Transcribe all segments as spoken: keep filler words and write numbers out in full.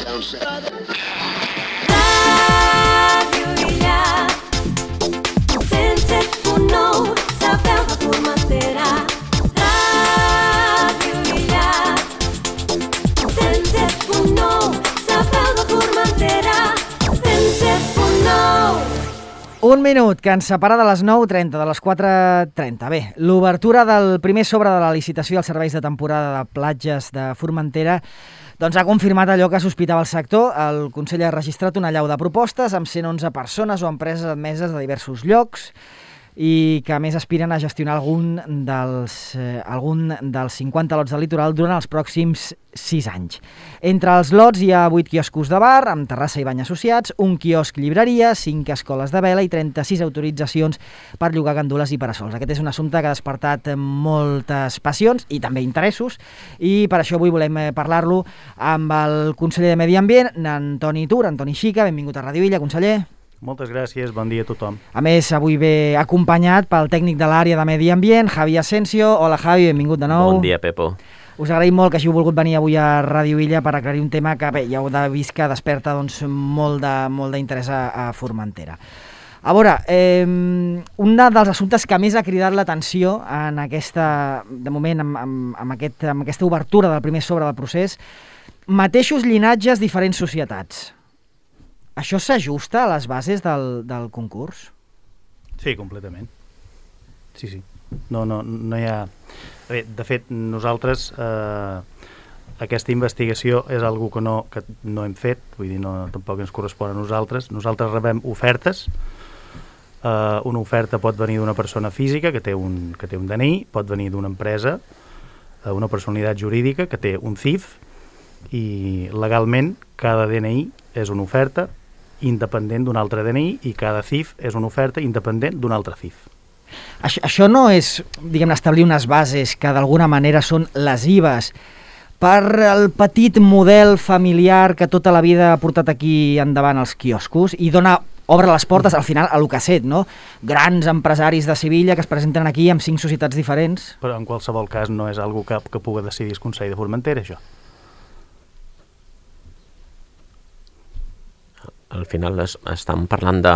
Un minut que ens separa de les nou trenta, de les quatre trenta. Bé, l'obertura del primer sobre de la licitació als serveis de temporada de platges de Formentera doncs ha confirmat allò que sospitava el sector. El Consell ha registrat una allau de propostes amb cent onze persones o empreses admeses de diversos llocs i que a més aspiren a gestionar algun dels, eh, algun dels cinquanta lots del litoral durant els pròxims sis anys. Entre els lots hi ha vuit quioscos de bar, amb terrassa i bany associats, un quiosc llibreria, cinc escoles de vela i trenta-sis autoritzacions per llogar gandules i parasols. Aquest és un assumpte que ha despertat moltes passions i també interessos, i per això avui volem parlar-lo amb el conseller de Medi Ambient, Antoni Tur. Antoni Xica, benvingut a Ràdio Illa, conseller. Moltes gràcies, bon dia a tothom. A més, avui ve acompanyat pel tècnic de l'àrea de Medi Ambient, Javi Asensio. Hola, Javi, benvingut de nou. Bon dia, Pepo. Us agraïm molt que hàgiu volgut venir avui a Ràdio Illa per aclarir un tema que, bé, ja heu de vist que desperta doncs, molt de, molt d'interès a, a Formentera. A veure, eh, un dels assumptes que més ha cridat l'atenció en aquesta, de moment, amb, amb, amb, aquest, amb aquesta obertura del primer sobre del procés, mateixos llinatges, diferents societats. Això s'ajusta a les bases del, del concurs? Sí, completament. Sí, sí. No, no, no hi ha... Bé, de fet, nosaltres eh, aquesta investigació és algo que no, que no hem fet, vull dir, no, tampoc ens correspon a nosaltres. Nosaltres rebem ofertes. Eh, una oferta pot venir d'una persona física que té un, que té un D N I, pot venir d'una empresa, eh, una personalitat jurídica que té un C I F, i legalment cada D N I és una oferta independent d'un altre D N I i cada C I F és una oferta independent d'un altre C I F. Això, això no és, diguem, establir unes bases que d'alguna manera són lesives per el petit model familiar que tota la vida ha portat aquí endavant els quioscos i dona, obre les portes al final a lo que ha set, no? Grans empresaris de Sevilla que es presenten aquí amb cinc societats diferents. Però en qualsevol cas no és algo que, que pugui decidir el Consell de Formentera, això. Al final es, estan parlant de...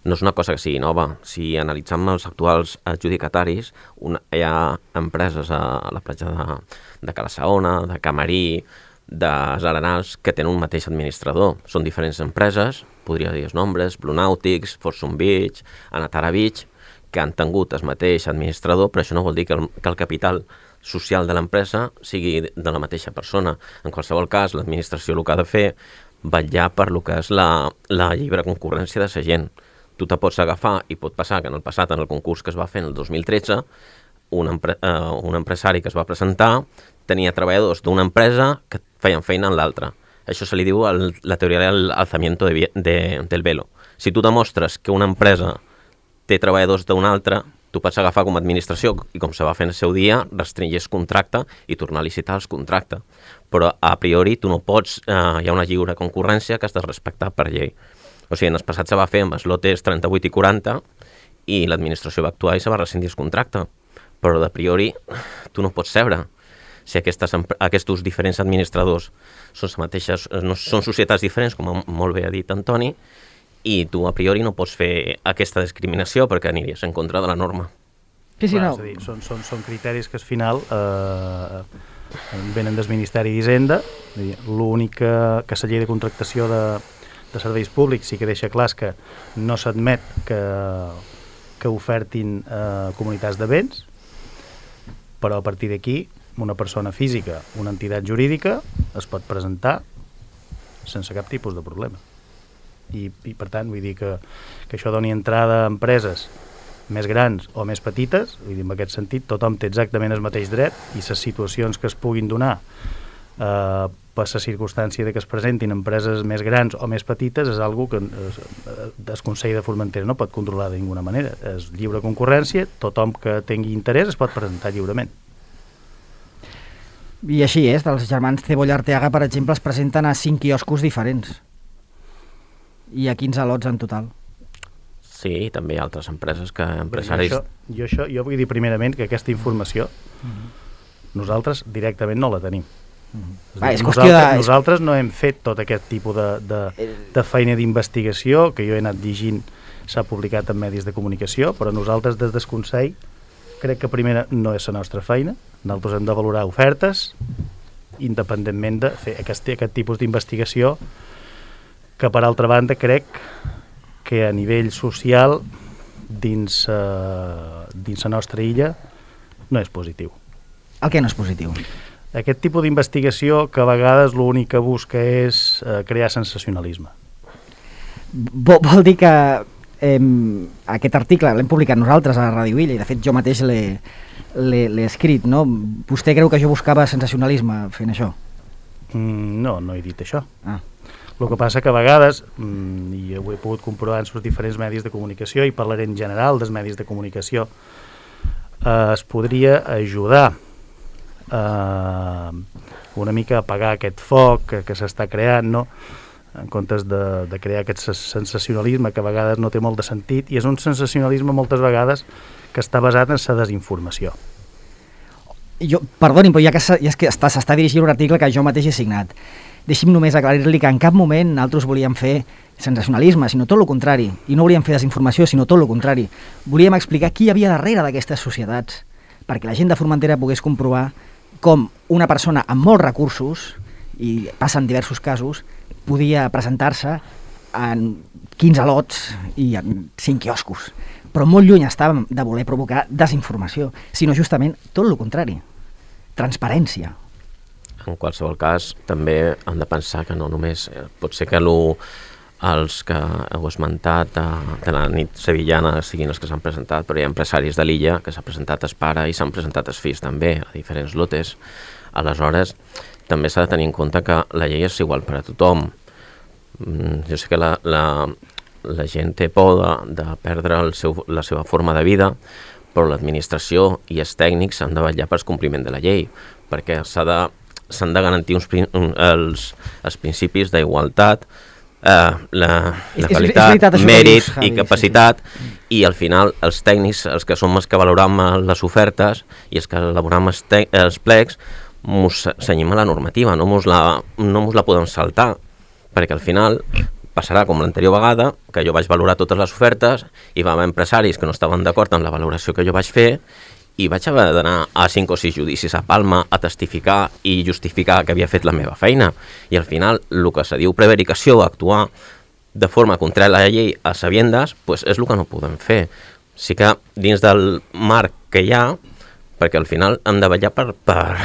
No és una cosa que sigui nova. Si analitzem els actuals adjudicataris, una, hi ha empreses a la platja de, de Cala-saona, de Camarí, de Arenals, que tenen un mateix administrador. Són diferents empreses, podria dir els nombres, Blue Nautics, Fortune Beach, Anatara Beach, que han tingut el mateix administrador, però això no vol dir que el, que el capital social de l'empresa sigui de la mateixa persona. En qualsevol cas, l'administració el que ha de fer vetllar per lo que és la, la lliure concurrència de la gent. Tu te pots agafar, i pot passar que en el passat, en el concurs que es va fer en el dos mil tretze, un, empre, uh, un empresari que es va presentar tenia treballadors d'una empresa que feien feina en l'altra. Això se li diu el, la teoria del alzamiento de, de, del velo. Si tu demostres que una empresa té treballadors d'una altra, tu pots agafar com a administració, i com se va fer en el seu dia, restringir el contracte i tornar a licitar el contracte. Però a priori tu no pots, eh, hi ha una lliure concurrència que has de respectar per llei. O sigui, en el passat se va fer amb els lotes trenta-vuit i quaranta i l'administració va actuar i se va rescindir el contracte. Però de priori tu no pots seure. Si aquestes, aquests diferents administradors són, mateixes, no, són societats diferents, com molt bé ha dit Antoni, i tu a priori no pots fer aquesta discriminació perquè aniries en contra de la norma. Sí, sí, Clar, no. És a dir, són, són, són criteris que al final eh, venen del Ministeri d'Hisenda. L'únic que, que la llei de contractació de, de serveis públics sí que deixa clar que no s'admet que, que ofertin eh, comunitats de béns, però a partir d'aquí una persona física, una entitat jurídica es pot presentar sense cap tipus de problema. I, i per tant, vull dir que, que això doni entrada a empreses més grans o més petites, vull dir, en aquest sentit tothom té exactament el mateix dret, i les situacions que es puguin donar eh, per la circumstància de que es presentin empreses més grans o més petites és algo que el Consell de Formentera no pot controlar de ninguna manera. És lliure concurrència, tothom que tingui interès es pot presentar lliurement. I així és, els germans Cebolla Arteaga, per exemple, es presenten a cinc quioscos diferents i a quinze lots en total. Sí, i també hi ha altres empreses que empresaris... Jo, això, jo, això, jo vull dir primerament que aquesta informació mm-hmm. nosaltres directament no la tenim. Mm. Va, és qüestió nosaltres, de... nosaltres no hem fet tot aquest tipus de, de, de feina d'investigació, que jo he anat llegint, s'ha publicat en medis de comunicació, però nosaltres des del Consell crec que primera no és la nostra feina. Nosaltres hem de valorar ofertes independentment de fer aquest, aquest tipus d'investigació, que per altra banda crec que a nivell social dins, uh, dins la nostra illa no és positiu. El que no és positiu? Aquest tipus d'investigació que a vegades l'únic que busca és uh, crear sensacionalisme. Vol, vol dir que eh, aquest article l'hem publicat nosaltres a Ràdio Illa i de fet jo mateix l'he, l'he, l'he escrit, no? Vostè creu que jo buscava sensacionalisme fent això? Mm, no, no he dit això. Ah. El que passa que a vegades, mm, i ho he pogut comprovar en els diferents medis de comunicació, i parlaré en general dels medis de comunicació, eh, es podria ajudar eh, una mica a apagar aquest foc que, que s'està creant, no? En comptes de, de crear aquest sensacionalisme que a vegades no té molt de sentit, i és un sensacionalisme moltes vegades que està basat en la desinformació. Jo, perdoni, però ja que, ja que s'està, s'està dirigint un article que jo mateix he signat, deixi'm només aclarir-li que en cap moment nosaltres volíem fer sensacionalisme, sinó tot el contrari, i no volíem fer desinformació, sinó tot el contrari. Volíem explicar qui hi havia darrere d'aquestes societats, perquè la gent de Formentera pogués comprovar com una persona amb molts recursos, i passen diversos casos, podia presentar-se en quinze lots i en cinc quioscos. Però molt lluny estàvem de voler provocar desinformació, sinó justament tot el contrari. Transparència. En qualsevol cas, també hem de pensar que no només... Eh, pot ser que lo, els que heu esmentat de, de la nit sevillana siguin els que s'han presentat, però hi ha empresaris de l'illa que s'ha presentat es pare i s'han presentat es fills també, a diferents lotes. Aleshores, també s'ha de tenir en compte que la llei és igual per a tothom. Mm, jo sé que la, la, la gent té por de, de perdre el seu, la seva forma de vida, però l'administració i els tècnics han de vetllar pel compliment de la llei, perquè s'ha de s'han de garantir uns, els, els principis d'igualtat, eh, la, la qualitat, mèrit i capacitat, sí, sí. I al final els tècnics, els que som els que valoram les ofertes i els que elaboram els, te, els plecs, mos cenyim a la normativa, no mos la, no mos la podem saltar, perquè al final passarà com l'anterior vegada, que jo vaig valorar totes les ofertes i va haver empresaris que no estaven d'acord amb la valoració que jo vaig fer i vaig haver d'anar a cinc o sis judicis a Palma a testificar i justificar que havia fet la meva feina. I al final, el que se diu prevaricació, actuar de forma contrària a la llei a sabiendes, pues és el que no podem fer. Sí que dins del marc que hi ha, perquè al final hem de vetllar per, per,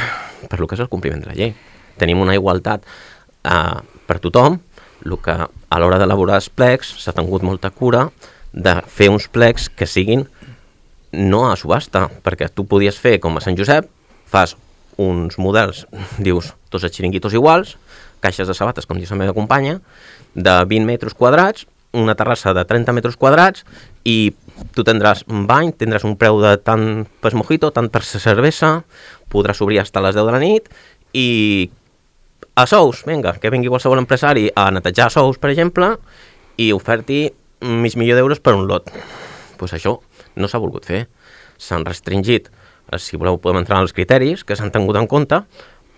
per el que és el compliment de la llei. Tenim una igualtat eh, per tothom, el que a l'hora d'elaborar els plecs s'ha tingut molta cura de fer uns plecs que siguin no a subhasta, perquè tu podies fer com a Sant Josep, fas uns models, dius, tots els xiringuitos iguals, caixes de sabates, com diu la meva companya, de vint metres quadrats, una terrassa de trenta metres quadrats, i tu tindràs un bany, tindràs un preu de tant per mojito, tant per cervesa, podràs obrir fins a les deu de la nit, i a sous, vinga, que vingui qualsevol empresari a netejar sous, per exemple, i oferti mig milió d'euros per un lot. Doncs pues això no s'ha volgut fer. S'han restringit, si voleu podem entrar en els criteris que s'han tingut en compte,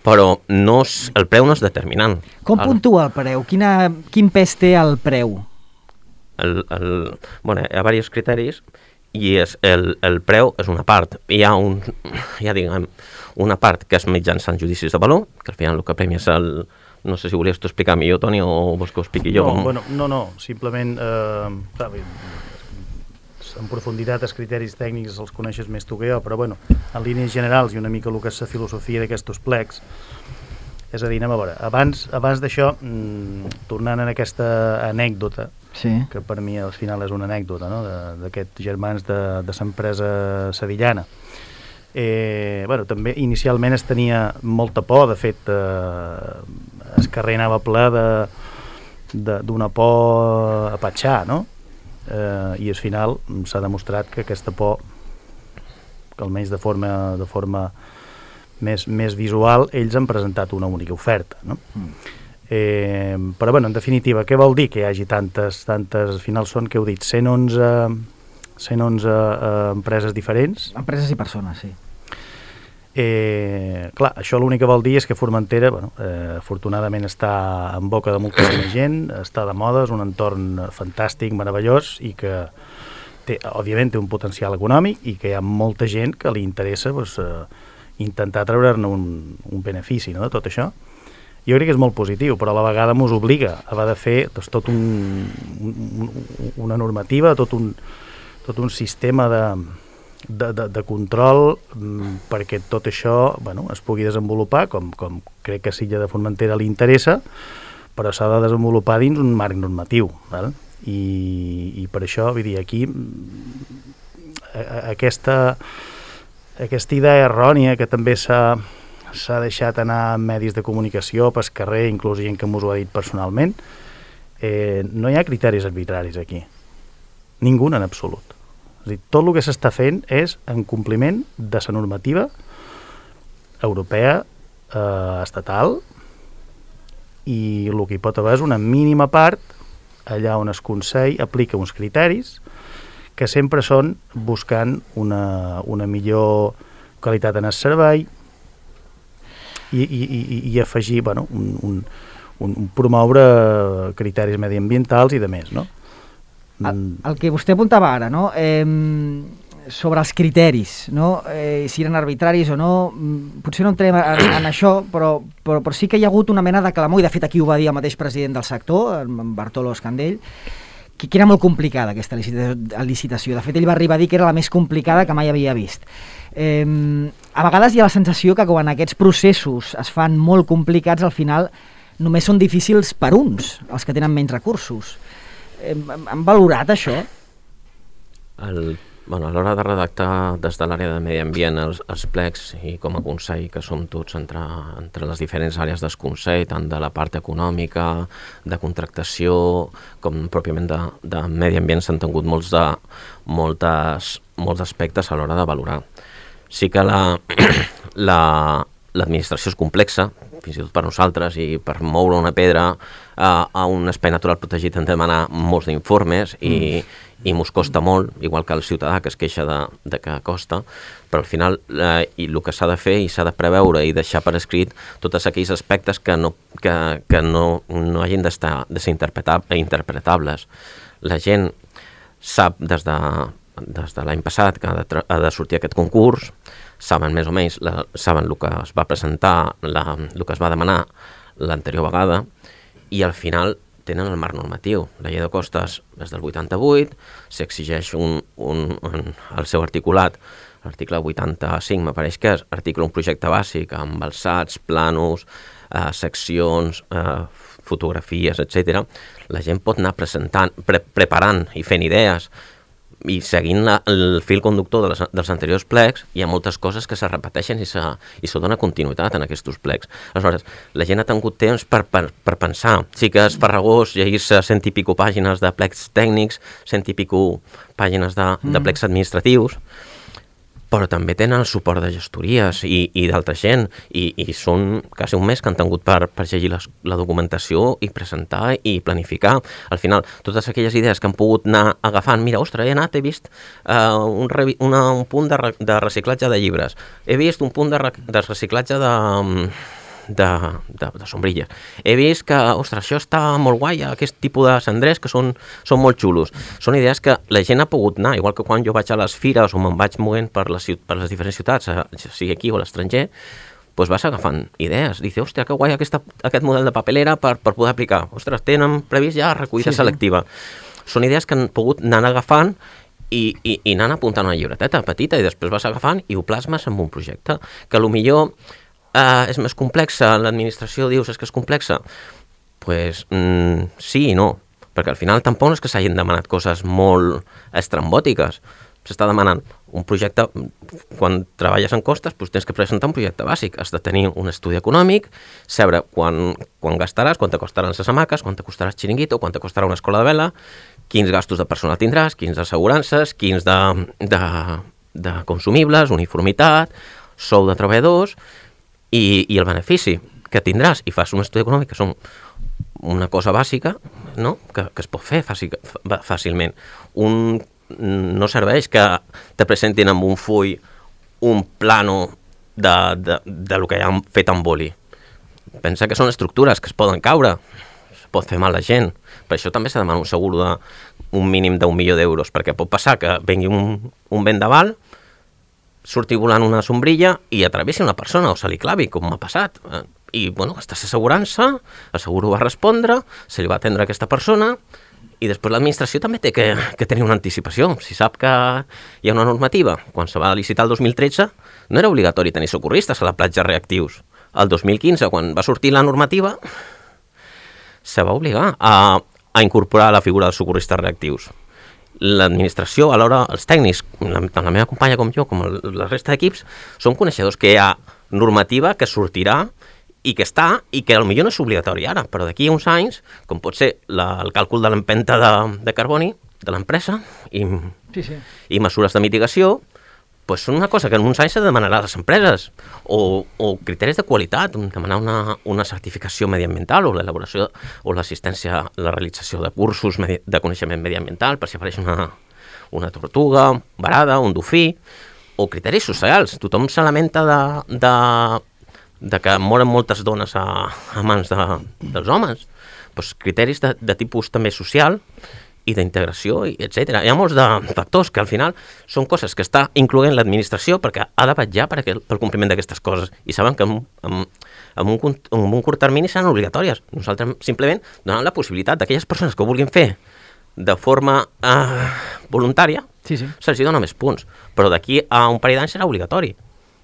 però no és, el preu no és determinant. Com el, puntua el preu? Quina, quin pes té el preu? El, el, bueno, hi ha diversos criteris i és, el, el preu és una part. Hi ha, un, hi ha diguem, una part que és mitjançant judicis de valor, que al final el que premia és el... No sé si volies tu explicar millor, Toni, o vols que ho expliqui jo? No, bueno, no, no, simplement... Eh, en profunditat els criteris tècnics els coneixes més tu que jo, però bueno, en línies generals i una mica el que és la filosofia d'aquests plecs, és a dir, anem a veure, abans, abans d'això, mmm, tornant en aquesta anècdota, sí, que per mi al final és una anècdota, no?, d'aquests germans de, de l'empresa sevillana. Eh, bueno, també inicialment es tenia molta por, de fet, eh, el carrer anava ple d'una por a patxar, no?, Eh, i al final s'ha demostrat que aquesta por, que almenys de forma, de forma més, més visual, ells han presentat una única oferta, no? Mm. Eh, però bueno, en definitiva, què vol dir que hi hagi tantes, tantes, al final són, què heu dit, cent onze, cent onze eh, empreses diferents? Empreses i persones, sí. Eh, clar, això l'únic que vol dir és que Formentera, bueno, eh, afortunadament està en boca de moltíssima gent, està de moda, és un entorn fantàstic, meravellós, i que té, òbviament té un potencial econòmic i que hi ha molta gent que li interessa doncs, eh, intentar treure-ne un, un benefici, no?, de tot això. Jo crec que és molt positiu, però a la vegada mos obliga a haver de fer doncs, tot un, un, una normativa, tot un, tot un sistema de De, de, de control m, perquè tot això bueno, es pugui desenvolupar com, com crec que a Silla de Formentera li interessa, però s'ha de desenvolupar dins un marc normatiu, val? I, i per això vull dir, aquí a, a, aquesta aquesta idea errònia que també s'ha s'ha deixat anar en medis de comunicació, pel carrer, inclús gent que m'ho ha dit personalment, eh, no hi ha criteris arbitraris aquí, ningú en absolut. És a dir, tot el que s'està fent és en compliment de la normativa europea, eh, estatal, i el que hi pot haver és una mínima part allà on el Consell aplica uns criteris que sempre són buscant una, una millor qualitat en el servei i, i, i, i afegir, bueno, un, un, un, un promoure criteris mediambientals i de més, no? El, el que vostè apuntava ara, no? Eh, sobre els criteris, no? Eh, si eren arbitraris o no, potser no entrem en, en això, però, però, però sí que hi ha hagut una mena de clamor, i de fet aquí ho va dir el mateix president del sector, en Bartolo Escandell, que, que era molt complicada aquesta licitació. De fet, ell va arribar a dir que era la més complicada que mai havia vist. Eh, a vegades hi ha la sensació que quan aquests processos es fan molt complicats, al final només són difícils per uns, els que tenen menys recursos. Han valorat això? El, bueno, a l'hora de redactar des de l'àrea de medi ambient els, els plecs, i com a Consell, que som tots entre, entre les diferents àrees del Consell, tant de la part econòmica, de contractació, com pròpiament de, de medi ambient, s'han tingut molts, de, moltes, molts aspectes a l'hora de valorar. Sí que la, la, l'administració és complexa, fins i tot per nosaltres, i per moure una pedra a, a un espai natural protegit hem de demanar molts d'informes i, mm. i mos costa molt, igual que el ciutadà que es queixa de, de que costa, però al final eh, i el que s'ha de fer i s'ha de preveure i deixar per escrit tots aquells aspectes que no, que, que no, no hagin d'estar, de ser interpretables. La gent sap des de, des de l'any passat que ha de, ha de sortir aquest concurs, saben més o menys, la, saben el que es va presentar, la, el que es va demanar l'anterior vegada, i al final tenen el marc normatiu. La llei de costes és del vuitanta-vuit, s'exigeix un, un, un, el seu articulat, l'article vuitanta-cinc, m'apareix que és article un projecte bàsic amb alçats, planos, eh, seccions, eh, fotografies, etcètera. La gent pot anar presentant, pre preparant i fent idees, i seguint la, el fil conductor de les, dels anteriors plecs, hi ha moltes coses que se repeteixen i se, i se dona continuïtat en aquests plecs. Aleshores, la gent ha tingut temps per, per, per pensar. Sí que és farragós llegir-se cent i pico pàgines de plecs tècnics, cent i pico pàgines de, de plecs administratius, però també tenen el suport de gestories i, i d'altra gent, i, i són quasi un mes que han tingut per, per llegir les, la documentació i presentar i planificar. Al final, totes aquelles idees que han pogut anar agafant, mira, ostres, he anat, he vist uh, un, una, un punt de, re, de reciclatge de llibres, he vist un punt de, re, de reciclatge de... De, de, de sombrilles. He vist que, ostres, això està molt guai, aquest tipus de cendrers que són, són molt xulos. Són idees que la gent ha pogut anar, igual que quan jo vaig a les fires o me'n vaig movent per les, per les diferents ciutats, sigui aquí o a l'estranger, doncs vas agafant idees. Dice, ostres, que guai aquesta, aquest model de papelera per, per poder aplicar. Ostres, tenen previst ja recollida sí, selectiva. Sí. Són idees que han pogut anar agafant i, i, i anar apuntant una llibreteta petita i després vas agafant i ho plasmes en un projecte que potser Uh, és més complexa, l'administració dius és que és complexa, doncs pues, mm, sí i no, perquè al final tampoc és que s'hagin demanat coses molt estrambòtiques, s'està demanant un projecte, quan treballes en costes doncs tens que presentar un projecte bàsic, has de tenir un estudi econòmic, saber quan, quan gastaràs, quant te costaran les hamaques, quant te costarà el xiringuito, quant te costarà una escola de vela, quins gastos de personal tindràs, quins d'assegurances, quins de, de, de consumibles, uniformitat, sou de treballadors, I, i el benefici que tindràs i fas un estudi econòmic que són una cosa bàsica, no? que, que es pot fer fàcil, fàcilment. Un, no serveix que te presentin amb un full un plano de, de, de lo que ja han fet amb boli. Pensa que són estructures que es poden caure, es pot fer mal a la gent. Per això també s'ha demanat un segur d'un mínim d'un milió d'euros, perquè pot passar que vengui un, un vendaval, surti volant una sombrilla i atravessi una persona o se li clavi, com m'ha passat. I, bueno, estàs assegurant-se, el seguro va respondre, se li va atendre a aquesta persona, i després l'administració també té que, que tenir una anticipació. Si sap que hi ha una normativa, quan se va licitar el dos mil tretze, no era obligatori tenir socorristes a la platja reactius. El dos mil quinze, quan va sortir la normativa, se va obligar a, a incorporar la figura dels socorristes reactius. L'administració, alhora els tècnics, tant la meva companya com jo, com el, la resta d'equips, són coneixedors que hi ha normativa que sortirà i que està, i que potser no és obligatori ara, però d'aquí a uns anys, com pot ser la, el càlcul de l'empenta de, de carboni de l'empresa i, sí, sí. i mesures de mitigació, pues són una cosa que en uns anys s'ha de demanar a les empreses, o, o criteris de qualitat, demanar una, una certificació mediambiental o l'elaboració o l'assistència, la realització de cursos medi, de coneixement mediambiental per si apareix una, una tortuga varada, un dofí, o criteris socials. Tothom se lamenta de, de, de que moren moltes dones a, a mans de, dels homes. Pues criteris de, de tipus també social i d'integració, etcètera. Hi ha molts de factors que al final són coses que està incloent l'administració perquè ha de vetllar per aquel, pel compliment d'aquestes coses i saben que en, en, en, un, en un curt termini seran obligatòries. Nosaltres simplement donem la possibilitat d'aquelles persones que ho vulguin fer de forma eh, voluntària, sí, sí. se'ls dona més punts, però d'aquí a un parell d'anys serà obligatori,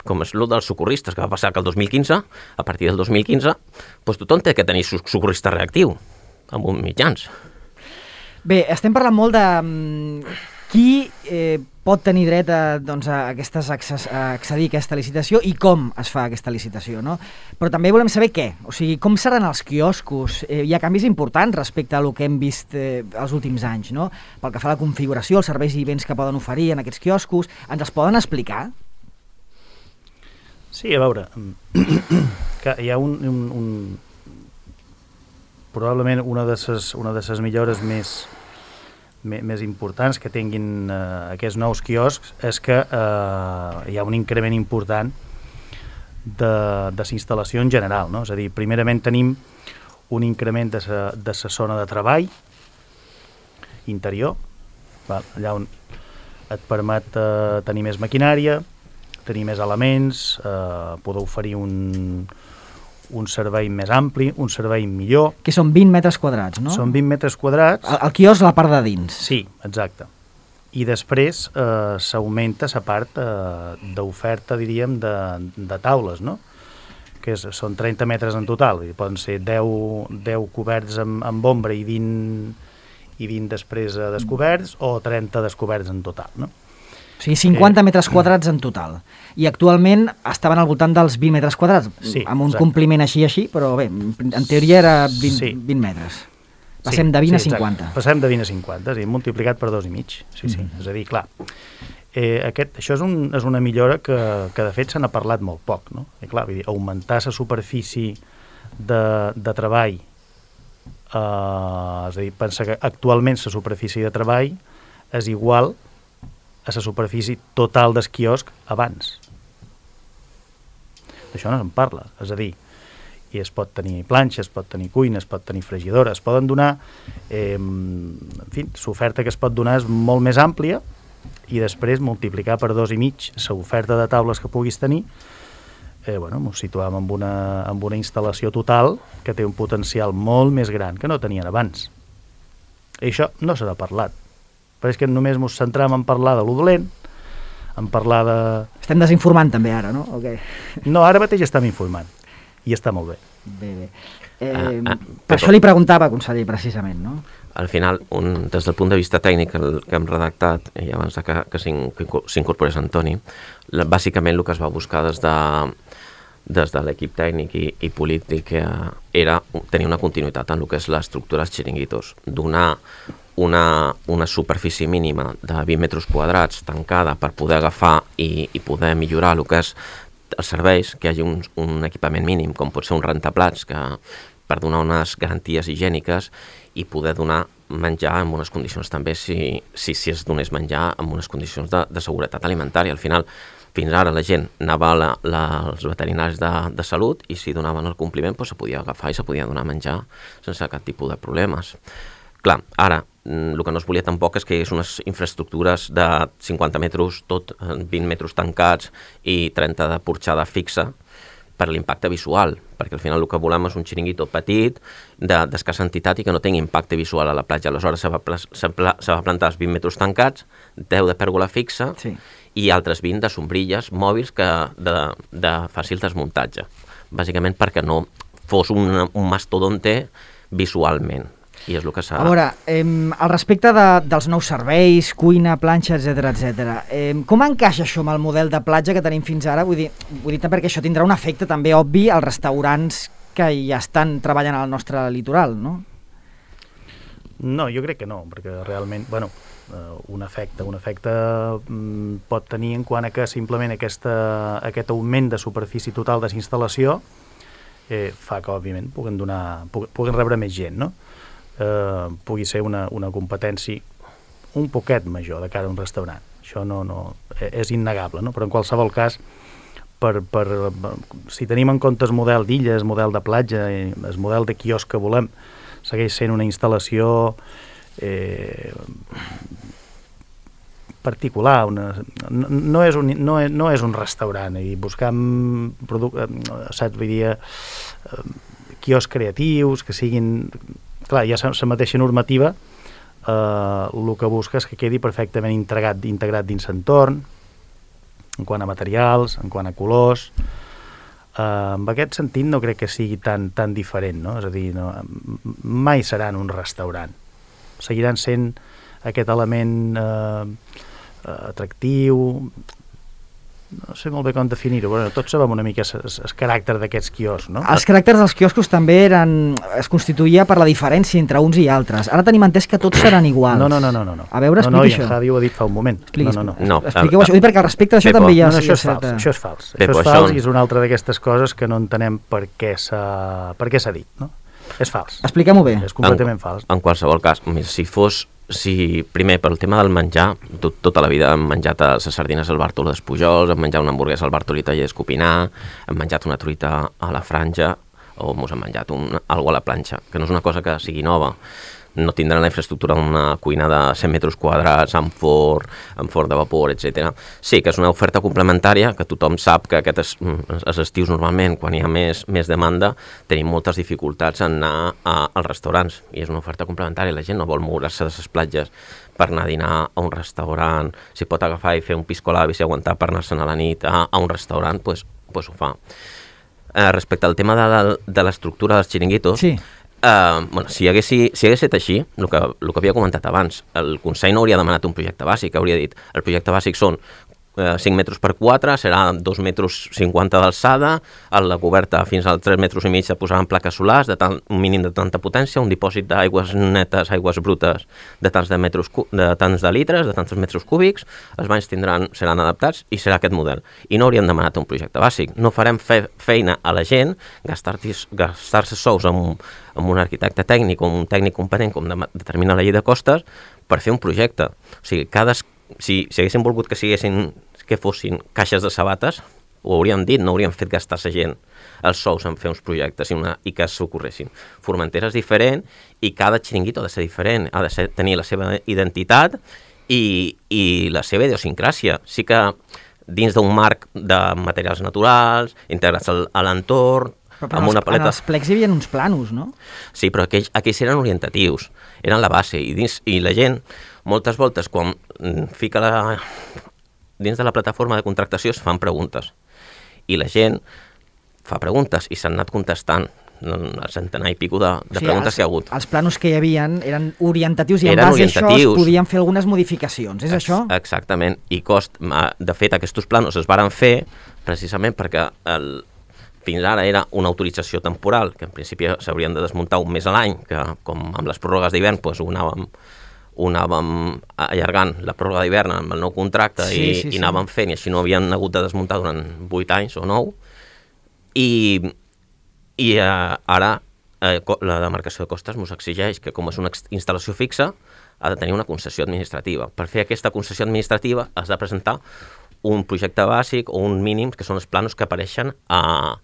com és el dels socorristes, que va passar que el dos mil quinze, a partir del dos mil quinze, doncs tothom té que tenir socorrista reactiu amb uns mitjans. Bé, estem parlant molt de um, qui eh, pot tenir dret a, doncs, a, aquestes, a accedir a aquesta licitació i com es fa aquesta licitació, no? Però també volem saber què, o sigui, com seran els quioscos. Eh, hi ha canvis importants respecte a el que hem vist eh, els últims anys, no? Pel que fa a la configuració, els serveis i béns que poden oferir en aquests quioscos, ens els poden explicar? Sí, a veure, que hi ha un... un, un probablement una de ses, una de ses millores més, més, més importants que tinguin eh, aquests nous quioscs és que eh, hi ha un increment important de, de la instal·lació en general, no? És a dir, primerament tenim un increment de sa, de sa zona de treball interior, val? Allà on et permet eh, tenir més maquinària, tenir més elements, eh, poder oferir un... un servei més ampli, un servei millor. Que són vint metres quadrats, no? Són vint metres quadrats. El, el quiosc la part de dins. Sí, exacte. I després eh, s'augmenta la part eh, d'oferta, diríem, de, de taules, no? Que és, són trenta metres en total. Poden ser deu, deu coberts amb, amb ombra i vint, i vint després eh, descoberts, o trenta descoberts en total, no? O sigui, cinquanta eh, metres quadrats en total. I actualment estaven al voltant dels vint metres quadrats, sí, amb un exacte. Compliment així així, però bé, en teoria era vint, sí. vint metres. Passem sí, de vint sí, a cinquanta. Exacte. Passem de vint a cinquanta, és a dir, multiplicat per dos i mig. Sí, sí. Mm-hmm. És a dir, clar, eh, aquest, això és, un, és una millora que, que de fet se n'ha parlat molt poc, no? I clar, vull dir, augmentar la superfície de, de treball, eh, és a dir, pensa que actualment la superfície de treball és igual a la superfície total del quiosc abans. D'això no se'n parla, és a dir, i es pot tenir planxa, es pot tenir cuina, es pot tenir fregidora, es poden donar, eh, en fi, l'oferta que es pot donar és molt més àmplia i després multiplicar per dos i mig l'oferta de taules que puguis tenir, eh, bueno, ens situem amb una, amb una instal·lació total que té un potencial molt més gran que no tenien abans. I això no s'ha parlat. Però és que només ens centram en parlar de lo dolent, en parlar de... Estem desinformant també ara, no? Okay. No, ara mateix estem informant, i està molt bé. Bé, bé. Eh, ah, ah, per però... això li preguntava, conseller, precisament, no? Al final, un, des del punt de vista tècnic el que hem redactat, i abans que, que s'incorporés Antoni, la, bàsicament el que es va buscar des de, des de l'equip tècnic i, i polític eh, era tenir una continuïtat en el que és l'estructura dels xiringuitos, donar Una, una superfície mínima de vint metres quadrats tancada per poder agafar i, i poder millorar el que és els serveis, que hi hagi un, un equipament mínim, com pot ser un rentaplats, que per donar unes garanties higièniques i poder donar menjar en unes condicions també, si, si, si es donés menjar en unes condicions de, de seguretat alimentària. Al final, fins ara la gent anava a la, la, als veterinaris de, de salut i si donaven el compliment doncs se podia agafar i se podia donar a menjar sense cap tipus de problemes. Clar, ara, el que no es volia tampoc és que hi hagués unes infraestructures de cinquanta metres, tot vint metres tancats i trenta de porxada fixa per l'impacte visual, perquè al final el que volem és un xiringuito petit, d'escassa entitat i que no tingui impacte visual a la platja. Aleshores se va, se va plantar els vint metres tancats, deu de pèrgola fixa sí. i altres vint de sombrilles mòbils que de, de fàcil desmuntatge. Bàsicament perquè no fos un, un mastodonte visualment. I és el que s'ha... A veure, eh, al respecte de, dels nous serveis, cuina, planxa, etcètera, etcètera, eh, com encaixa això amb el model de platja que tenim fins ara? Vull dir, vull dir perquè això tindrà un efecte també obvi als restaurants que ja estan treballant al nostre litoral, no? No, jo crec que no, perquè realment, bueno, un efecte, un efecte pot tenir en quant a que simplement aquesta, aquest augment de superfície total de l'instal·lació eh, fa que, òbviament, puguen, donar, puguen rebre més gent, no? Eh, pugui ser una, una competència un poquet major de cara a un restaurant. Això no, no, és innegable, no? Però en qualsevol cas, per, per, si tenim en compte el model d'illes, el model de platja, el model de quiosc que volem, segueix sent una instal·lació eh, particular, una, no, no, és un, no, és, no és un restaurant, i buscant saps, vull dir, eh, quioscs creatius, que siguin... Clar, ja la mateixa normativa eh, el que busca és que quedi perfectament integrat, integrat dins l'entorn, en quant a materials, en quant a colors. Eh, en aquest sentit no crec que sigui tan, tan diferent, no? És a dir, no, mai seran un restaurant. Seguiran sent aquest element eh, atractiu... No sé molt bé com definir-ho, però tots sabem una mica el caràcter d'aquests quioscs, no? Els caràcters dels quioscos també eren, es constituïa per la diferència entre uns i altres. Ara tenim entès que tots seran iguals. No, no, no, no. no. A veure, explica no, no, això. No, no, Javi ho ha dit fa un moment. Expliqui, no, no, no. no. Expliqueu això, perquè al respecte d'això també hi ha... No, no, això és certa... fals, això és fals. Bé, això és això... fals i és una altra d'aquestes coses que no entenem per què s'ha dit, no? És fals. Expliquem-ho bé. És completament en, fals. En qualsevol cas, si fos... Si, primer, pel tema del menjar, tot, tota la vida hem menjat les sardines al Bartolo d'Espujols, hem menjat una hamburguesa al Bartoli Taller d'Escopinar, hem menjat una truita a la Franja, o mos hem menjat un, algo a la planxa, que no és una cosa que sigui nova. No tindran la infraestructura d'una cuina de cent metres quadrats, amb forn, amb forn de vapor, etcètera. Sí, que és una oferta complementària, que tothom sap que aquest és, els estius normalment, quan hi ha més, més demanda, tenim moltes dificultats en anar a, als restaurants, i és una oferta complementària. La gent no vol moure-se de les platges per anar a dinar a un restaurant, si pot agafar i fer un piscolabis i aguantar per anar-se'n a la nit a, a un restaurant, doncs pues, pues ho fa. Eh, respecte al tema de, de l'estructura dels xiringuitos, sí. Uh, bueno, si hagués, si hagués estat així, el que, el que havia comentat abans, el Consell no hauria demanat un projecte bàsic, hauria dit, el projecte bàsic són uh, cinc metres per quatre, serà dos metres cinquanta d'alçada, a la coberta fins als tres metres i mig de posaran plaques solars, de tant, un mínim de tanta potència, un dipòsit d'aigües netes, aigües brutes, de tants de, metres, de tants de litres, de tants metres cúbics, els banys tindran, seran adaptats i serà aquest model. I no haurien demanat un projecte bàsic. No farem fe, feina a la gent, gastar-se gastar sous amb un amb un arquitecte tècnic o un tècnic competent com de, determina la llei de costes per fer un projecte. O sigui, cada, si, si haguéssim volgut que siguessin, que fossin caixes de sabates, ho hauríem dit, no hauríem fet gastar-se gent els sous en fer uns projectes i, una, i que s'ocorressin. Formentera és diferent i cada xiringuito ha de ser diferent, ha de ser, tenir la seva identitat i, i la seva idiosincràsia. Sí que dins d'un marc de materials naturals, integrats al, a l'entorn, Però, però amb una paleta... en els plecs hi havia uns planos, no? Sí, però aquells, aquells eren orientatius, eren la base, i, dins, i la gent, moltes voltes, quan fica la... dins de la plataforma de contractació es fan preguntes, i la gent fa preguntes i s'han anat contestant el centenar i pico de, de o sigui, preguntes els, que hi ha hagut. Els planos que hi havien eren orientatius i en eren base a això es podien fer algunes modificacions, és Ex això? Exactament, i cost, de fet aquests planos es varen fer precisament perquè el fins ara era una autorització temporal, que en principi s'haurien de desmuntar un mes a l'any, que com amb les pròrrogues d'hivern doncs, ho, anàvem, ho anàvem allargant la pròrroga d'hivern amb el nou contracte sí, i, sí, i anàvem sí. fent, i així no havien hagut de desmuntar durant vuit anys o nou. I, i eh, ara eh, la demarcació de costes ens exigeix que, com és una instal·lació fixa, ha de tenir una concessió administrativa. Per fer aquesta concessió administrativa has de presentar un projecte bàsic o un mínim, que són els planos que apareixen a,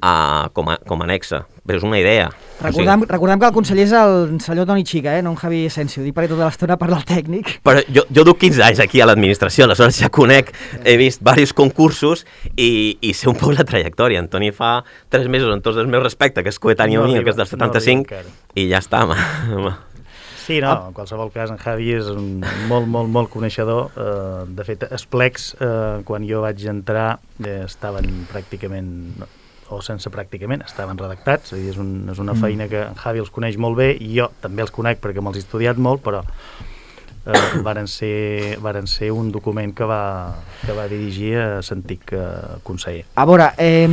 a, com, a, com a anexa. Però és una idea. Recordem, o sigui, recordem que el conseller és el senyor Toni Chica, eh? No en Javi Asensio. Dic perquè tota l'estona parla el tècnic. Però jo, jo duc quinze anys aquí a l'administració, aleshores ja conec, he vist diversos concursos i, i sé un poc la trajectòria. En Toni fa tres mesos, amb tots els meus respectes, que és coetani No a mi, arriba, que és del no setanta-cinc, arriba encara. i ja està. Sí, no, en qualsevol cas en Javi és un molt, molt, molt coneixedor. Uh, de fet, els plecs, uh, quan jo vaig entrar, eh, estaven pràcticament, o sense pràcticament, estaven redactats. És, dir, és, un, és una feina que en Javi els coneix molt bé, i jo també els conec perquè me'ls he estudiat molt, però uh, varen, ser, varen ser un document que va, que va dirigir a l'antic uh, conseller. A veure, eh,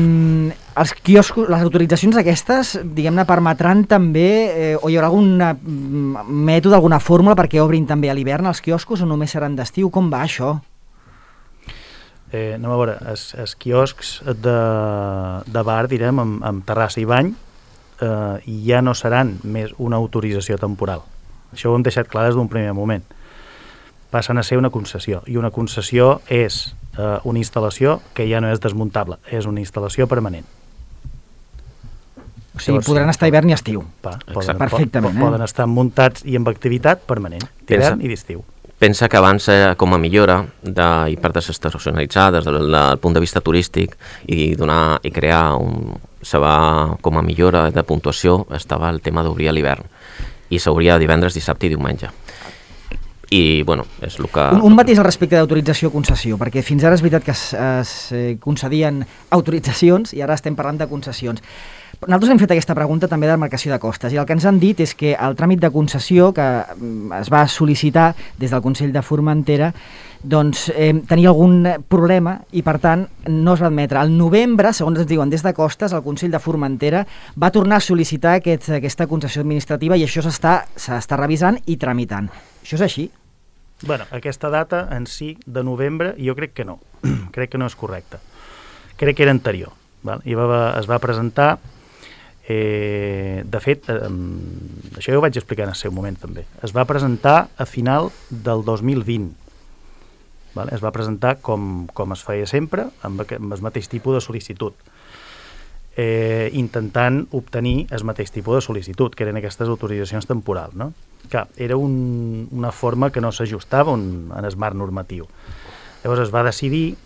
els quioscos, les autoritzacions aquestes, diguem-ne, permetran també, eh, o hi haurà algun mètode, alguna fórmula perquè obrin també a l'hivern els quioscos o només seran d'estiu? Com va això? Eh, anem a veure, els, els quioscs de, de bar, direm, amb, amb terrassa i bany, eh, ja no seran més una autorització temporal. Això ho hem deixat clar des d'un primer moment. Passen a ser una concessió, i una concessió és eh, una instal·lació que ja no és desmuntable, és una instal·lació permanent. O sigui, podran estar hivern i estiu. Pa, poden, Perfectament. po, poden eh? estar muntats i amb activitat permanent, d'hivern i d'estiu. Pensa que abans, eh, com a millora de, i per desestacionalitzar des del, del punt de vista turístic i, donar, i crear un, seva, com a millora de puntuació, estava el tema d'obrir a l'hivern i s'obria divendres, dissabte i diumenge. I, bueno, és el que... Un, un matís al respecte d'autorització o concessió, perquè fins ara és veritat que es, es concedien autoritzacions i ara estem parlant de concessions. Nosaltres hem fet aquesta pregunta també de demarcació de costes i el que ens han dit és que el tràmit de concessió que es va sol·licitar des del Consell de Formentera doncs eh, tenia algun problema i per tant no es va admetre. Al novembre, segons ens diuen des de costes, el Consell de Formentera va tornar a sol·licitar aquest, aquesta concessió administrativa i això s'està s'està revisant i tramitant. Això és així? Bueno, aquesta data en si de novembre jo crec que no, crec que no és correcta. Crec que era anterior. Val? I va, es va presentar, eh, de fet, eh, això ja ho vaig explicar en el seu moment també, es va presentar a final del dos mil vint. Val? Es va presentar com, com es feia sempre, amb, amb el mateix tipus de sol·licitud, eh, intentant obtenir el mateix tipus de sol·licitud, que eren aquestes autoritzacions temporals, no? Que era un, una forma que no s'ajustava en el marc normatiu. Llavors es va decidir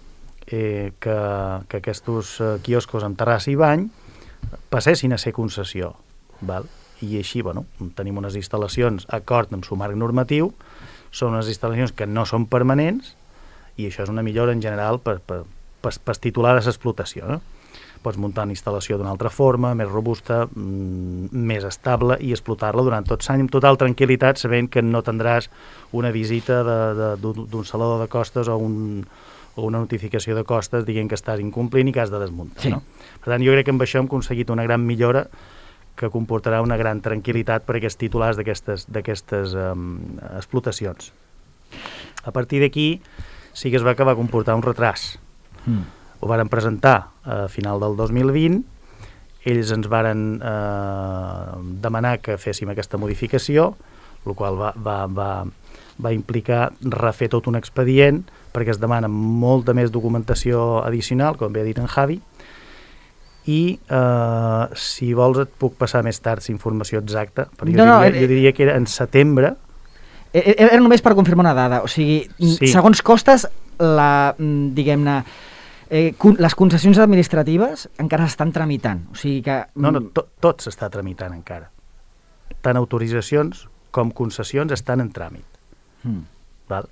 eh, que, que aquests eh, quioscos amb terrassa i bany passessin a ser concessió, val? I així, bueno, tenim unes instal·lacions acord amb el marc normatiu, són unes instal·lacions que no són permanents i això és una millora en general per, per, per, per titular de l'explotació, no? Pots muntar una instal·lació d'una altra forma, més robusta, mmm, més estable i explotar-la durant tot l'any amb total tranquil·litat, sabent que no tindràs una visita d'un saló de costes o, un, o una notificació de costes dient que estàs incomplint i que has de desmuntar. Sí. No? Per tant, jo crec que amb això hem aconseguit una gran millora que comportarà una gran tranquil·litat per aquests titulars d'aquestes um, explotacions. A partir d'aquí sí que es va acabar a comportar un retras. Mm. Ho varen presentar a final del dos mil vint, ells ens varen eh, demanar que féssim aquesta modificació, el qual va, va, va, va implicar refer tot un expedient, perquè es demana molta més documentació addicional, com bé ha dit en Javi, i eh, si vols et puc passar més tard la informació exacta, però jo, no, diria, no, jo diria que era en setembre. Era només per confirmar una dada, o sigui, sí. Segons costes, la, diguem-ne, Eh, les concessions administratives encara s'estan tramitant, o sigui que... No, no, to, tot s'està tramitant encara. Tant autoritzacions com concessions estan en tràmit. Mm. Val?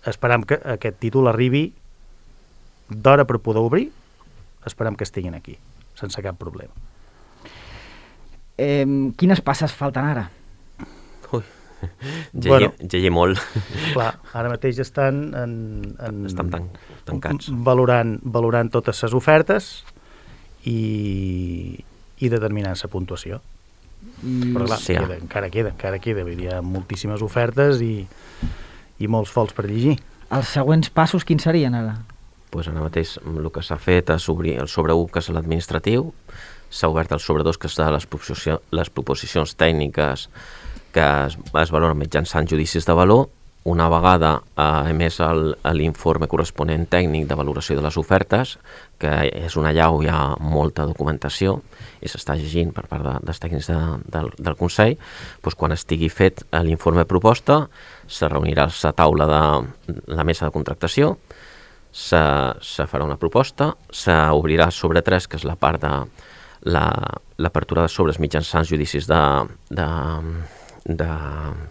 Esperam que aquest títol arribi d'hora per poder obrir, esperam que estiguin aquí, sense cap problema. Eh, quines passes falten ara? Ui, llegir, bueno, llegir molt. Clar, ara mateix estan en, en, estan tan, tancats. Valorant, valorant totes les ofertes i, i determinant la puntuació. Mm, Però clar, sí, queda, encara queda, encara queda. Hi ha moltíssimes ofertes i, i molts fols per llegir. Els següents passos quins serien ara? Pues ara mateix el que s'ha fet és obrir el sobre u, que és l'administratiu, s'ha obert el sobre dos, que és de les, proposició, les proposicions tècniques que es, es valoren mitjançant judicis de valor, una vegada eh, emès el- l'informe corresponent tècnic de valoració de les ofertes, que és una llau, hi ha molta documentació i s'està llegint per part de, dels tècnics de, del, del Consell, doncs quan estigui fet eh, l'informe proposta, se reunirà la taula de la mesa de contractació, se, se farà una proposta, s'obrirà sobre tres, que és la part de la- l'apertura de sobres mitjançant judicis de, de, de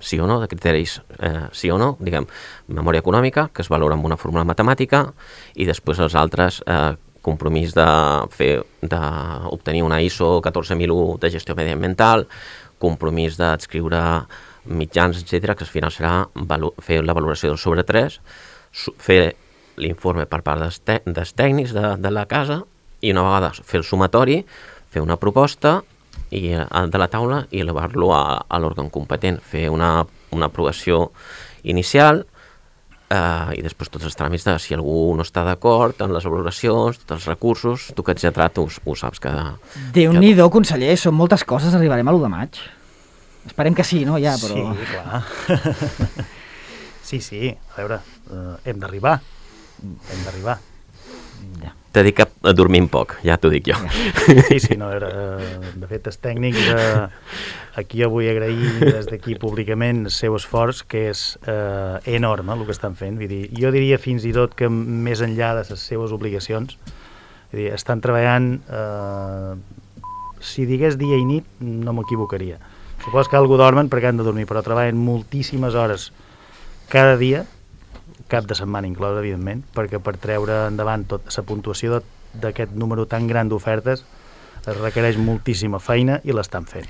sí o no, de criteris eh, sí o no, diguem, memòria econòmica, que es valora amb una fórmula matemàtica, i després els altres eh, compromís de fer d'obtenir una I S O catorze mil u de gestió mediambiental, compromís d'adscriure mitjans, etcètera, que al final serà valo- fer la valoració del sobre tres, su- fer l'informe per part dels, tè- dels tècnics de, de la casa, i una vegada fer el sumatori, fer una proposta i, eh, de la taula i elevar-lo a, a l'òrgan competent, fer una, una aprovació inicial, eh, i després tots els tràmits de si algú no està d'acord en les valoracions, tots els recursos, tu que ets lletrat ho, ho saps que... Déu-n'hi-do, conseller, són moltes coses, arribarem a l'u de maig. Esperem que sí, no? Ja, però... Sí, clar. Sí, sí, a veure, eh, hem d'arribar, hem d'arribar. Ja. T'he dit que dormim poc, ja t'ho dic jo. Sí, sí, no, a veure, eh, de fet, els tècnics, eh, aquí jo vull agrair des d'aquí públicament el seu esforç, que és eh, enorme el que estan fent, vull dir, jo diria fins i tot que més enllà de les seves obligacions, vull dir, estan treballant, eh, si digués dia i nit, no m'equivocaria. Supos que algú dormen perquè han de dormir, però treballen moltíssimes hores cada dia, cap de setmana inclòs, evidentment, perquè per treure endavant tota la puntuació d'aquest número tan gran d'ofertes es requereix moltíssima feina i l'estan fent.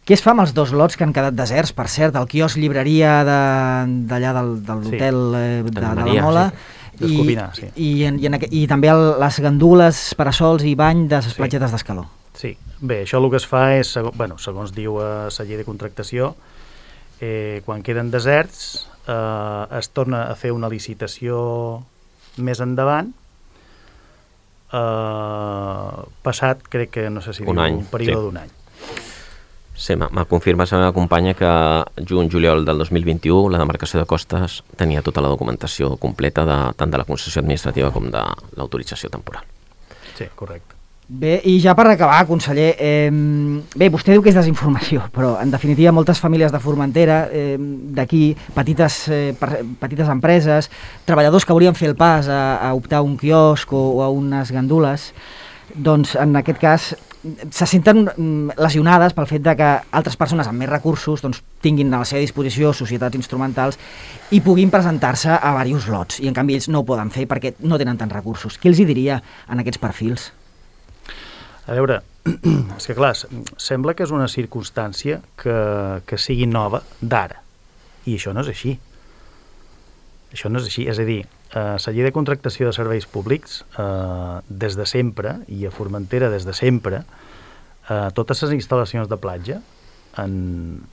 Què es fa amb els dos lots que han quedat deserts, per cert, el quiosc llibreria de- d'allà del, de l'hotel eh, de, de la Maria, Mola, sí. D'Escopinar, sí. i, en, i, en, aqu- i també el, les gandules, parasols i bany de les Sí. platgetes d'Escaló. Sí, bé, això el que es fa és, seg bueno, segons diu eh, la llei de contractació, eh, quan queden deserts eh, es torna a fer una licitació més endavant, eh, passat, crec que, no sé si Un diu, any, un període sí. d'un any. Sí, me me confirma la meva companya que juny-juliol del dos mil vint-i-u la demarcació de Costes tenia tota la documentació completa de, tant de la concessió administrativa com de l'autorització temporal. Sí, correcte. Bé, i ja per acabar, conseller, eh, bé, vostè diu que és desinformació, però en definitiva moltes famílies de Formentera, eh, d'aquí, petites, eh, per, petites empreses, treballadors que haurien fet el pas a, a optar a un quiosc o, o a unes gandules, doncs en aquest cas se senten mm, lesionades pel fet de que altres persones amb més recursos doncs, tinguin a la seva disposició societats instrumentals i puguin presentar-se a diversos lots, i en canvi ells no ho poden fer perquè no tenen tants recursos. Què els hi diria en aquests perfils? A veure, és que clar, sembla que és una circumstància que, que sigui nova d'ara, i això no és així. Això no és així, és a dir, eh, la llei de contractació de serveis públics, eh, des de sempre, i a Formentera des de sempre, eh, totes les instal·lacions de platja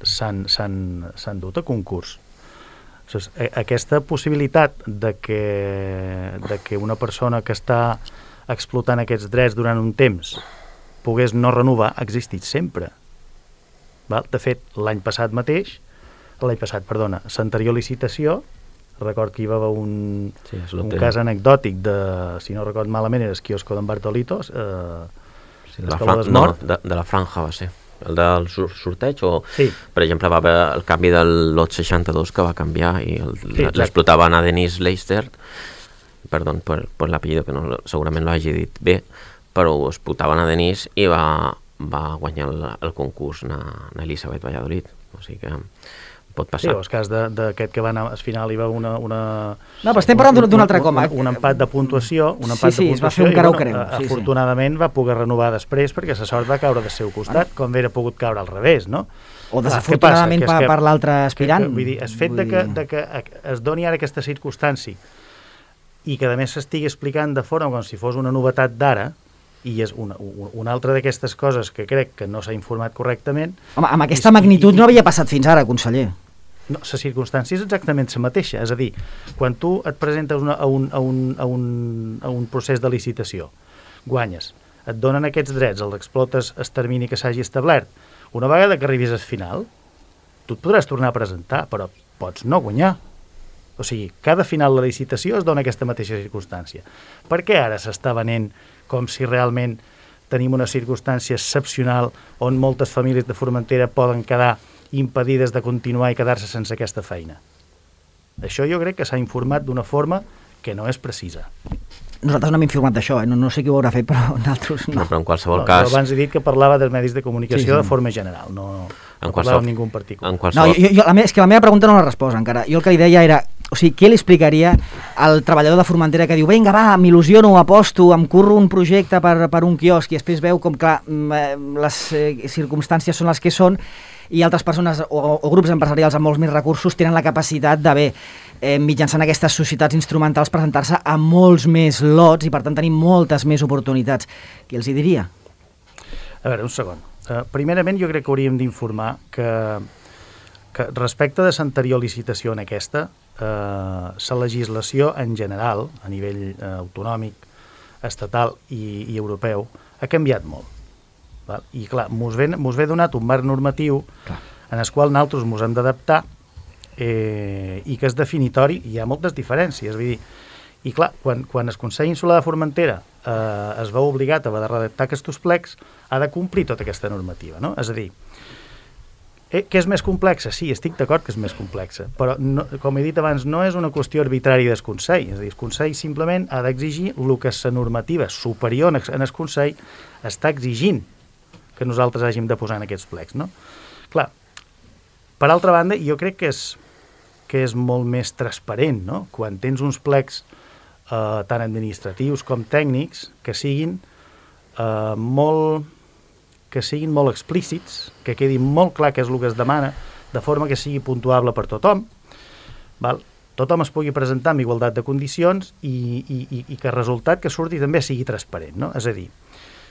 s'han dut a concurs. O sigui, aquesta possibilitat de que, de que una persona que està explotant aquests drets durant un temps pogués no renovar ha existit sempre. Val? De fet, l'any passat mateix, l'any passat, perdona, l'anterior licitació, record que hi va haver un, Sí, és un l'hotel. cas anecdòtic de, si no record malament, era el quiosco d'en Bartolitos, eh, Sí, de, la Escaló fran... del no, Nord. de, de la franja va ser. El del sur sorteig o... Sí. Per exemple, va haver el canvi del lot seixanta-dos que va canviar i el- Sí, exacte. l'explotaven a Denise Leister, perdó per, per l'apellido, que no, lo- segurament lo hagi dit bé, però ho explotaven a Denise i va, va guanyar el, el concurs na, na Elisabet Valladolid. O sigui que pot Sí, passar. o el cas de- d'aquest que va anar, al final hi va una... una No, però estem parlant d'un- d'un altre coma. Un, un empat de puntuació, un Sí, empat sí, de es va puntuació, fer un i, carau-creu, bueno, sí, sí. afortunadament va poder renovar després perquè la sort va caure del seu costat, com hauria pogut caure al revés, no? O Clar, desafortunadament què passa? per, Que és que- per l'altre aspirant. Que, que, vull dir, el fet de que, de que es doni ara aquesta circumstància i que a més s'estigui explicant de forma com si fos una novetat d'ara, i és una, una altra d'aquestes coses que crec que no s'ha informat correctament. Home, amb aquesta I- magnitud i- no havia passat fins ara, conseller. No, la circumstància és exactament la mateixa, és a dir, quan tu et presentes una, a, un, a, un, a, un, a un procés de licitació, guanyes, et donen aquests drets, els explotes el termini que s'hagi establert, una vegada que arribis al final, tu et podràs tornar a presentar, però pots no guanyar. O sigui, cada final de la licitació es dona aquesta mateixa circumstància. Per què ara s'està venent com si realment tenim una circumstància excepcional on moltes famílies de Formentera poden quedar impedides de continuar i quedar-se sense aquesta feina? Això jo crec que s'ha informat d'una forma que no és precisa. Nosaltres no hem informat d'això, eh? no, no sé qui ho haurà fet, però nosaltres no. no però en qualsevol no, cas... Abans he dit que parlava dels medis de comunicació sí, sí. de forma general, no, no en parlava amb ningú en particular. En qualsevol... No, jo, jo, la me, és que la meva pregunta no l'ha respost encara. Jo el que li deia era, o sigui, què li explicaria al treballador de Formentera que diu, vinga, va, m'il·lusiono, aposto, em curro un projecte per, per un quiosc i després veu com, clar, les eh, circumstàncies són les que són i altres persones o, o grups empresarials amb molts més recursos tenen la capacitat d'haver, eh, mitjançant aquestes societats instrumentals, presentar-se a molts més lots i per tant tenir moltes més oportunitats. Què els hi diria? A veure, un segon. Uh, primerament jo crec que hauríem d'informar que, que respecte de l'anterior licitació en aquesta, uh, la legislació en general, a nivell uh, autonòmic, estatal i, i europeu, ha canviat molt. Val? I clar, mos ve, mos ve donat un marc normatiu clar. En el qual nosaltres mos hem d'adaptar eh, i que és definitori, hi ha moltes diferències. Vull dir, i clar, quan, quan el Consell Insular de Formentera eh, es veu obligat a redactar aquests plecs, ha de complir tota aquesta normativa, no? És a dir, eh, que és més complexa? Sí, estic d'acord que és més complexa, però no, com he dit abans, no és una qüestió arbitrària del Consell, és a dir, el Consell simplement ha d'exigir el que la normativa superior en el Consell està exigint que nosaltres hàgim de posar en aquests plecs, no? Clar, per altra banda, jo crec que és, que és molt més transparent, no? Quan tens uns plecs eh, tant administratius com tècnics que siguin eh, molt que siguin molt explícits, que quedi molt clar què és el que es demana, de forma que sigui puntuable per tothom, val? Tothom es pugui presentar amb igualtat de condicions i, i, i, i que el resultat que surti també sigui transparent, no? És a dir,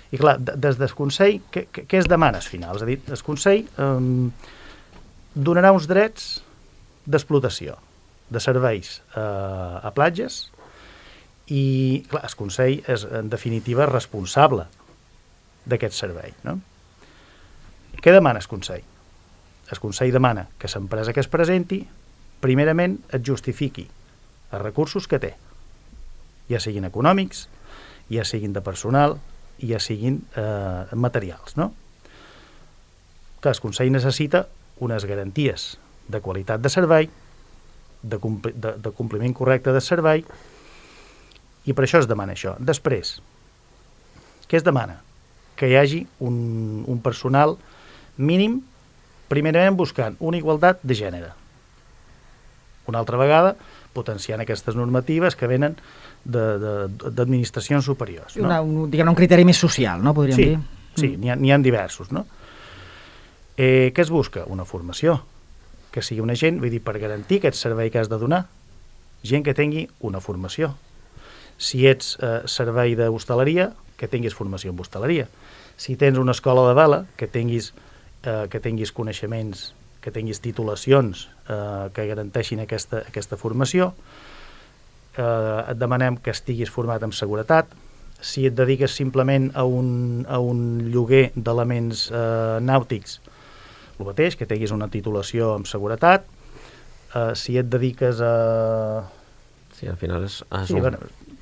i clar, des del Consell, què, què es demana al final? És a dir, el Consell eh, donarà uns drets d'explotació, de serveis eh, a platges i, clar, el Consell és, en definitiva, responsable d'aquest servei, no? Què demana el Consell? El Consell demana que l'empresa que es presenti, primerament, et justifiqui els recursos que té, ja siguin econòmics, ja siguin de personal, i ja siguin eh, materials, no? Que el Consell necessita unes garanties de qualitat de servei, de, compli de, de compliment correcte del servei, i per això es demana això. Després, què es demana? Que hi hagi un, un personal mínim, primerament buscant una igualtat de gènere. Una altra vegada, potenciant aquestes normatives que venen d'administracions superiors. No? Una, un, diguem, un criteri més social, no? Podríem sí, dir. Sí, n'hi ha, n'hi ha diversos, no? Eh, què es busca? Una formació, que sigui una gent, vull dir, per garantir aquest servei que has de donar, gent que tingui una formació. Si ets eh, servei d'hostaleria, que tinguis formació en hostaleria. Si tens una escola de vela, que tinguis, eh, que tinguis coneixements, que tinguis titulacions eh, que garanteixin aquesta, aquesta formació. Eh, et demanem que estiguis format en seguretat. Si et dediques simplement a un, a un lloguer d'elements eh, nàutics, el mateix, que tinguis una titulació en seguretat. Eh, si et dediques a... Sí, al final és... és sí, un... bueno,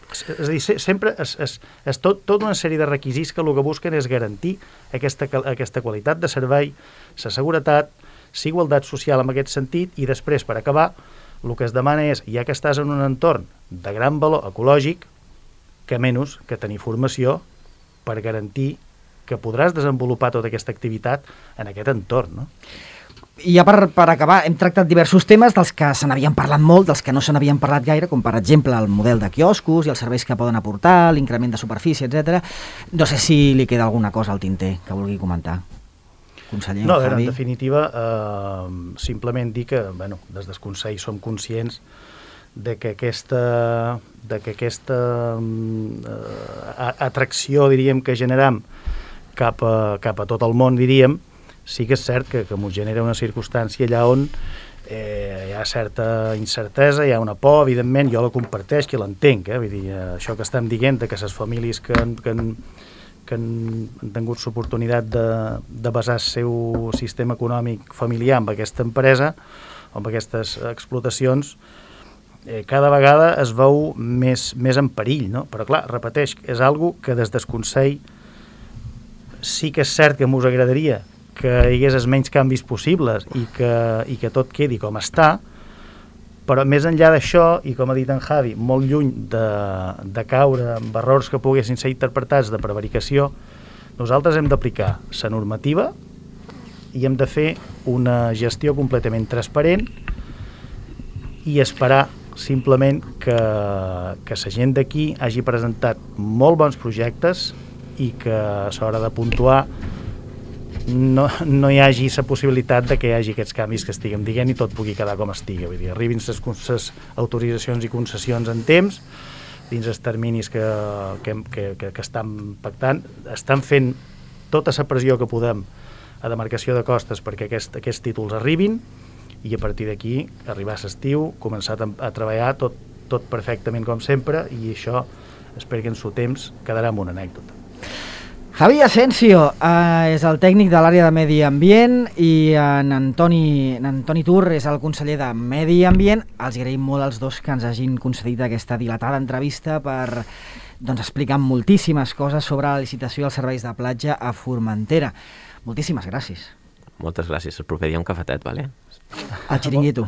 és, és a dir, sempre és, és, és tot, tota una sèrie de requisits que el que busquen és garantir aquesta, aquesta qualitat de servei, la seguretat, la igualtat social en aquest sentit, i després, per acabar, el que es demana és, ja que estàs en un entorn de gran valor ecològic, que menys que tenir formació per garantir que podràs desenvolupar tota aquesta activitat en aquest entorn, no? I ja per, per acabar, hem tractat diversos temes dels que se n'havien parlat molt, dels que no se n'havien parlat gaire, com per exemple el model de quioscos i els serveis que poden aportar, l'increment de superfície, etcètera. No sé si li queda alguna cosa al tinter que vulgui comentar. Conseller, no, Javi. En definitiva, eh, simplement dir que, bueno, des del Consell som conscients de que aquesta, de que aquesta eh, atracció, diríem, que generam cap a, cap a tot el món, diríem, sí que és cert que, que ens genera una circumstància allà on eh, hi ha certa incertesa, hi ha una por, evidentment, jo la comparteix, que l'entenc, eh? Vull dir, això que estem dient, que les famílies que, que, que han, han tingut l'oportunitat de, de basar el seu sistema econòmic familiar amb aquesta empresa, amb aquestes explotacions, eh, cada vegada es veu més, més en perill, no? Però clar, repeteix, és algo que des del Consell sí que és cert que m'us agradaria que hi hagués els menys canvis possibles i que, i que tot quedi com està, però més enllà d'això, i com ha dit en Javi, molt lluny de, de caure amb errors que poguessin ser interpretats de prevaricació, nosaltres hem d'aplicar la normativa i hem de fer una gestió completament transparent i esperar simplement que, que la gent d'aquí hagi presentat molt bons projectes i que a l'hora de puntuar no, no hi hagi la possibilitat de que hi hagi aquests canvis que estiguem dient i tot pugui quedar com estigui. Vull dir, arribin les autoritzacions i concessions en temps, dins els terminis que, que, que, que, que estan pactant, estan fent tota la pressió que podem a demarcació de costes perquè aquest, aquests títols arribin i a partir d'aquí arribar a l'estiu, començar a, a treballar tot, tot perfectament com sempre i això espero que en su temps quedarà en una anècdota. Javi Asensio eh, és el tècnic de l'àrea de Medi Ambient i en Antoni, en Antoni Tur és el conseller de Medi Ambient. Els agraïm molt als dos que ens hagin concedit aquesta dilatada entrevista per doncs, explicar moltíssimes coses sobre la licitació dels serveis de platja a Formentera. Moltíssimes gràcies. Moltes gràcies. El proper dia un cafetet, vale? Al xiringuito.